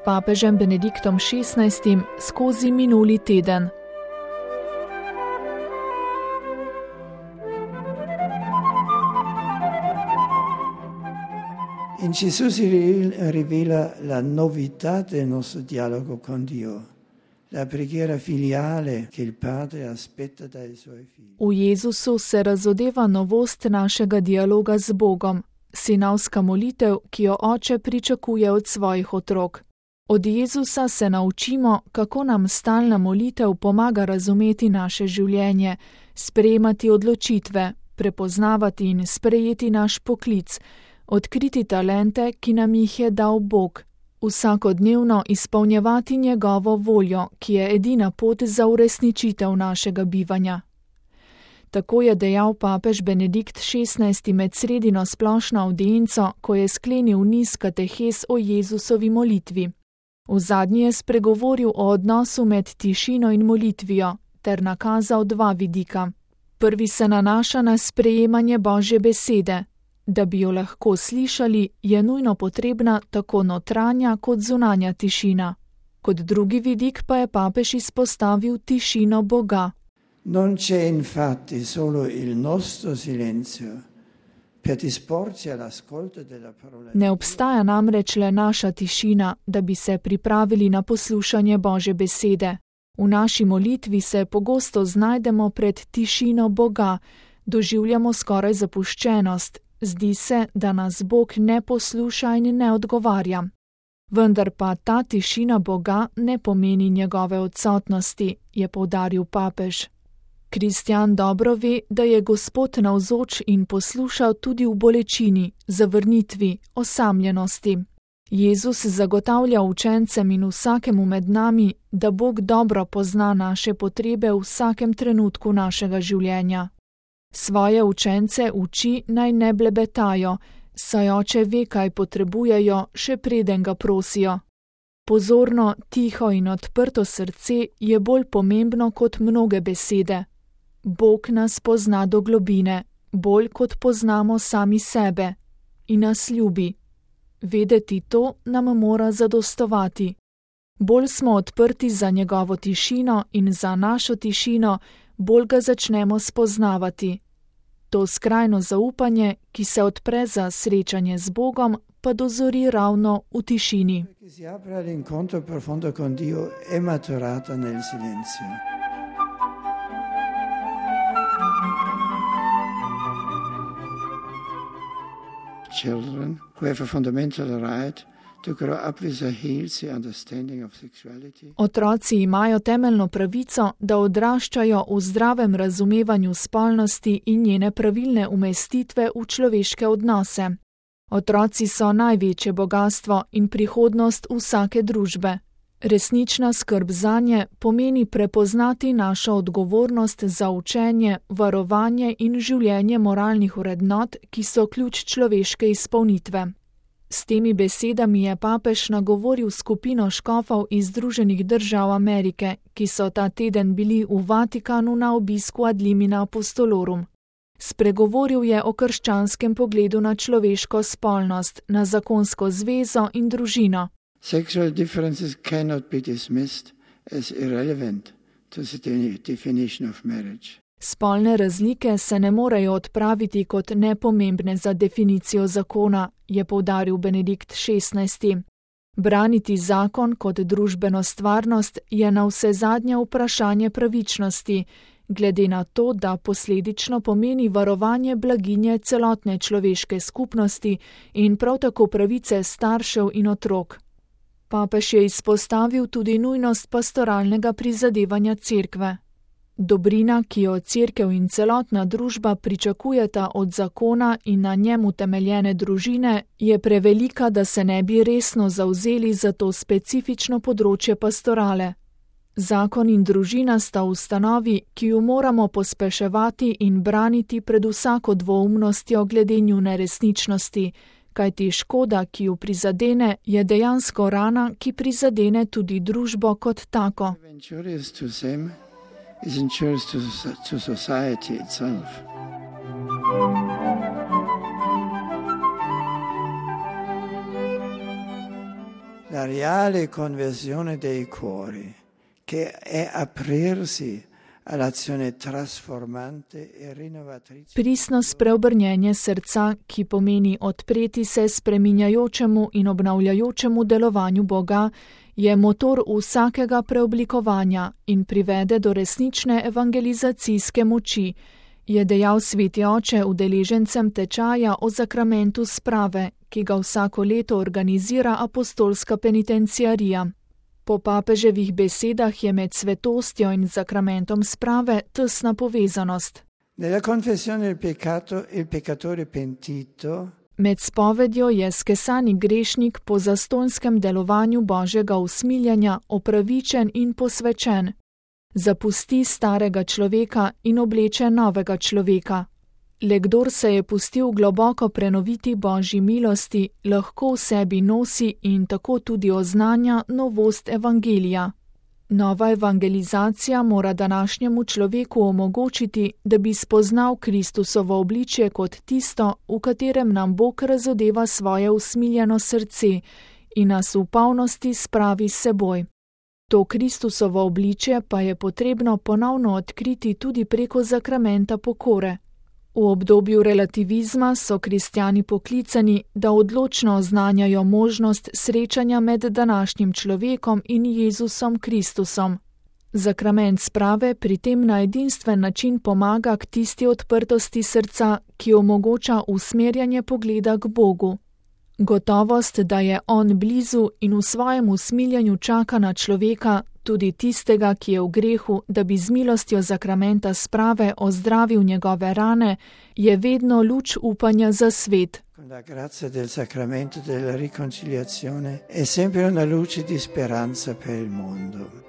papežem Benediktom XVI skozi minuli teden. In Gesù si rivela la novità del nostro dialogo con Dio, la preghiera filiale che il Padre aspetta dai suoi figli. V Jezusu se razodeva novost našega dialoga z Bogom, sinovska molitev, ki jo Oče pričakuje od svojih otrok. Od Jezusa se naučimo, kako nam stalna molitev pomaga razumeti naše življenje, sprejemati odločitve, prepoznavati in sprejeti naš poklic, odkriti talente, ki nam jih je dal Bog, vsakodnevno izpolnjevati njegovo voljo, ki je edina pot za uresničitev našega bivanja. Tako je dejal papež Benedikt XVI med sredino splošno avdienco, ko je sklenil niz katehes o Jezusovi molitvi. V zadnji je spregovoril o odnosu med tišino in molitvijo ter nakazal dva vidika. Prvi se nanaša na sprejemanje Božje besede. Da bi jo lahko slišali, je nujno potrebna tako notranja kot zunanja tišina. Kot drugi vidik pa je papež izpostavil tišino Boga. Non c'è infatti solo il nostro silenzio per disporci all'ascolto della parola. Ne obstaja namreč le naša tišina, da bi se pripravili na poslušanje Božje besede. V naši molitvi se pogosto znajdemo pred tišino Boga, doživljamo skoraj zapuščenost. Zdi se, da nas Bog ne posluša in ne odgovarja. Vendar pa ta tišina Boga ne pomeni njegove odsotnosti, je poudaril papež. Kristjan dobro ve, da je Gospod navzoč in posluša tudi v bolečini, zavrnitvi, osamljenosti. Jezus zagotavlja učencem in vsakemu med nami, da Bog dobro pozna naše potrebe v vsakem trenutku našega življenja. Svoje učence uči, naj ne blebetajo, saj Oče ve, kaj potrebujejo, še preden ga prosijo. Pozorno, tiho in odprto srce je bolj pomembno kot mnoge besede. Bog nas pozna do globine, bolj kot poznamo sami sebe, in nas ljubi. Vedeti to nam mora zadostovati. Bolj smo odprti za njegovo tišino in za našo tišino, bolj ga začnemo spoznavati. To skrajno zaupanje, ki se odpre za srečanje z Bogom, pa dozori ravno v tišini. Che si apre all'incontro profondo con Dio è maturata nel silenzio. Children who have a fundamental right to grow up with a healthy understanding of sexuality. Otroci imajo temeljno pravico, da odraščajo v zdravem razumevanju spolnosti in njene pravilne umestitve v človeške odnose. Otroci so največje bogastvo in prihodnost vsake družbe. Resnična skrb zanje pomeni prepoznati našo odgovornost za učenje, varovanje in življenje moralnih vrednot, ki so ključ človeške izpolnitve. S temi besedami je papež nagovoril skupino škofov iz Združenih držav Amerike, ki so ta teden bili v Vatikanu na obisku ad limina apostolorum. Spregovoril je o krščanskem pogledu na človeško spolnost, na zakonsko zvezo in družino. Sexual differences cannot be dismissed as irrelevant to the definition of marriage. Spolne razlike se ne morejo odpraviti kot nepomembne za definicijo zakona, je poudaril Benedikt XVI. Braniti zakon kot družbeno stvarnost je navsezadnje vprašanje pravičnosti, glede na to, da posledično pomeni varovanje blaginje celotne človeške skupnosti in prav tako pravice staršev in otrok. Papež je izpostavil tudi nujnost pastoralnega prizadevanja cerkve. Dobrina, ki jo cerkev in celotna družba pričakujeta od zakona in na njem utemeljene družine, je prevelika, da se ne bi resno zavzeli za to specifično področje pastorale. Zakon in družina sta ustanovi, ki jo moramo pospeševati in braniti pred vsako dvoumnostjo glede njune resničnosti, kajti škoda, ki jo prizadene, je dejansko rana, ki prizadene tudi družbo kot tako. Is injurious to society itself. la reale conversione dei cuori, che è aprirsi all'azione trasformante e rinnovatrice. Pristno spreobrnjenje srca, ki pomeni odpreti se spreminjajočemu in obnavljajočemu delovanju Boga, je motor vsakega preoblikovanja in privede do resnične evangelizacijske moči, je dejal sveti oče udeležencem tečaja o zakramentu sprave, ki ga vsako leto organizira apostolska penitenciarija. Po papeževih besedah je med svetostjo in zakramentom sprave tesna povezanost. Nella confessione del peccato il peccatore pentito Med spovedjo je skesani grešnik po zastonjskem delovanju Božjega usmiljenja opravičen in posvečen. Zapusti starega človeka in obleče novega človeka. Le kdor se je pustil globoko prenoviti Božji milosti, lahko v sebi nosi in tako tudi oznanja novost evangelija. Nova evangelizacija mora današnjemu človeku omogočiti, da bi spoznal Kristusovo obličje kot tisto, v katerem nam Bog razodeva svoje usmiljeno srce in nas v polnosti spravi s seboj. To Kristusovo obličje pa je potrebno ponovno odkriti tudi preko zakramenta pokore. V obdobju relativizma so kristjani poklicani, da odločno oznanjajo možnost srečanja med današnjim človekom in Jezusom Kristusom. Zakrament sprave pri tem na edinstven način pomaga k tisti odprtosti srca, ki omogoča usmerjanje pogleda k Bogu. Gotovost, da je On blizu in v svojem usmiljanju čaka na človeka, tudi tistega, ki je v grehu, da bi z milostjo zakramenta sprave ozdravil njegove rane, je vedno luč upanja za svet. Con la grazia del sacramento della riconciliazione è sempre una luce di speranza per il mondo.